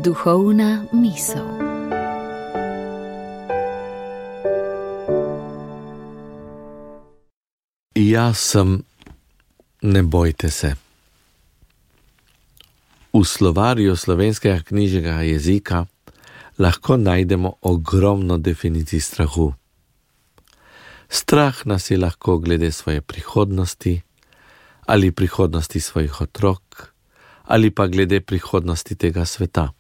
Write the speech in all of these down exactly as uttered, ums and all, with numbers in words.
Duhovna misel. Jaz sem, ne bojte se. V slovarju slovenskega knjižnega jezika lahko najdemo ogromno definicij strahu. Strah nas je lahko glede svoje prihodnosti, ali prihodnosti svojih otrok, ali pa glede prihodnosti tega sveta.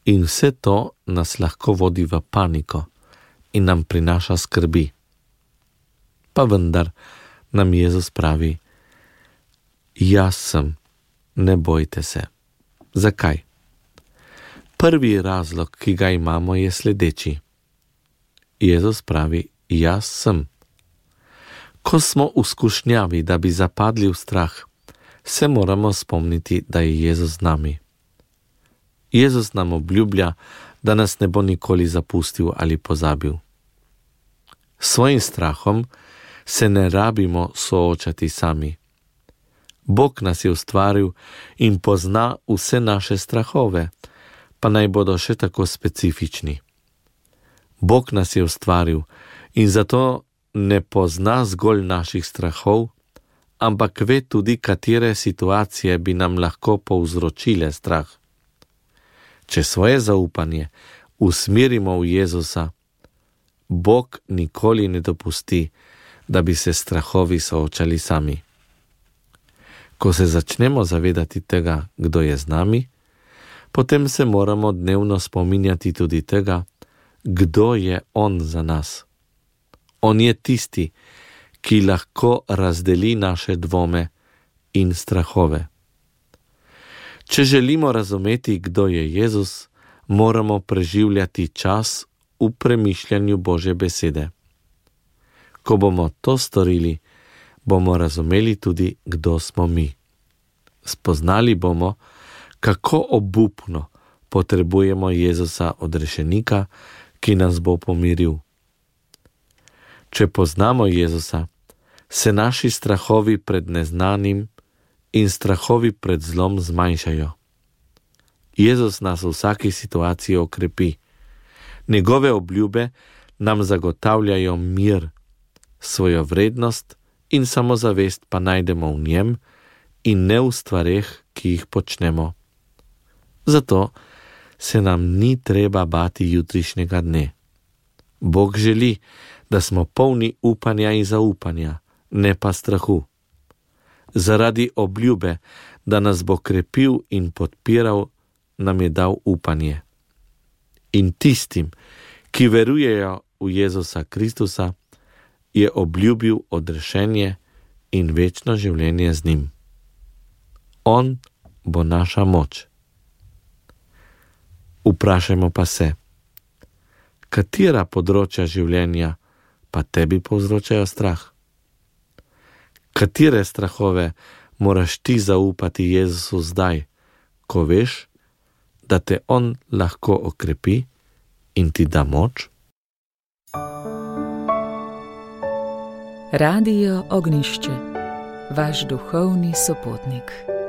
In vse to nas lahko vodi v paniko in nam prinaša skrbi. Pa vendar nam Jezus pravi: jaz sem, ne bojte se. Zakaj? Prvi razlog, ki ga imamo, je sledeči. Jezus pravi: jaz sem. Ko smo v skušnjavi, da bi zapadli v strah, se moramo spomniti, da je Jezus z nami. Jezus nam obljublja, da nas ne bo nikoli zapustil ali pozabil. S svojim strahom se ne rabimo soočati sami. Bog nas je ustvaril in pozna vse naše strahove, pa naj bodo še tako specifični. Bog nas je ustvaril in zato ne pozna zgolj naših strahov, ampak ve tudi, katere situacije bi nam lahko povzročile strah. Če svoje zaupanje usmerimo v Jezusa, Bog nikoli ne dopusti, da bi se strahovi soočali sami. Ko se začnemo zavedati tega, kdo je z nami, potem se moramo dnevno spominjati tudi tega, kdo je On za nas. On je tisti, ki lahko razdeli naše dvome in strahove. Če želimo razumeti, kdo je Jezus, moramo preživljati čas v premišljanju Božje besede. Ko bomo to storili, bomo razumeli tudi, kdo smo mi. Spoznali bomo, kako obupno potrebujemo Jezusa odrešenika, ki nas bo pomiril. Če poznamo Jezusa, se naši strahovi pred neznanim in strahovi pred zlom zmanjšajo. Jezus nas v vsaki situaciji okrepi. Njegove obljube nam zagotavljajo mir, svojo vrednost in samozavest pa najdemo v njem in ne v stvareh, ki jih počnemo. Zato se nam ni treba bati jutrišnjega dne. Bog želi, da smo polni upanja in zaupanja, ne pa strahu. Zaradi obljube, da nas bo krepil in podpiral, nam je dal upanje. In tistim, ki verujejo v Jezusa Kristusa, je obljubil odrešenje in večno življenje z njim. On bo naša moč. Vprašajmo pa se, katera področja življenja pa tebi povzročajo strah? Katere strahove moraš ti zaupati Jezusu zdaj, ko veš, da te On lahko okrepi in ti da moč? Radio Ognjišče, vaš duhovni sopotnik.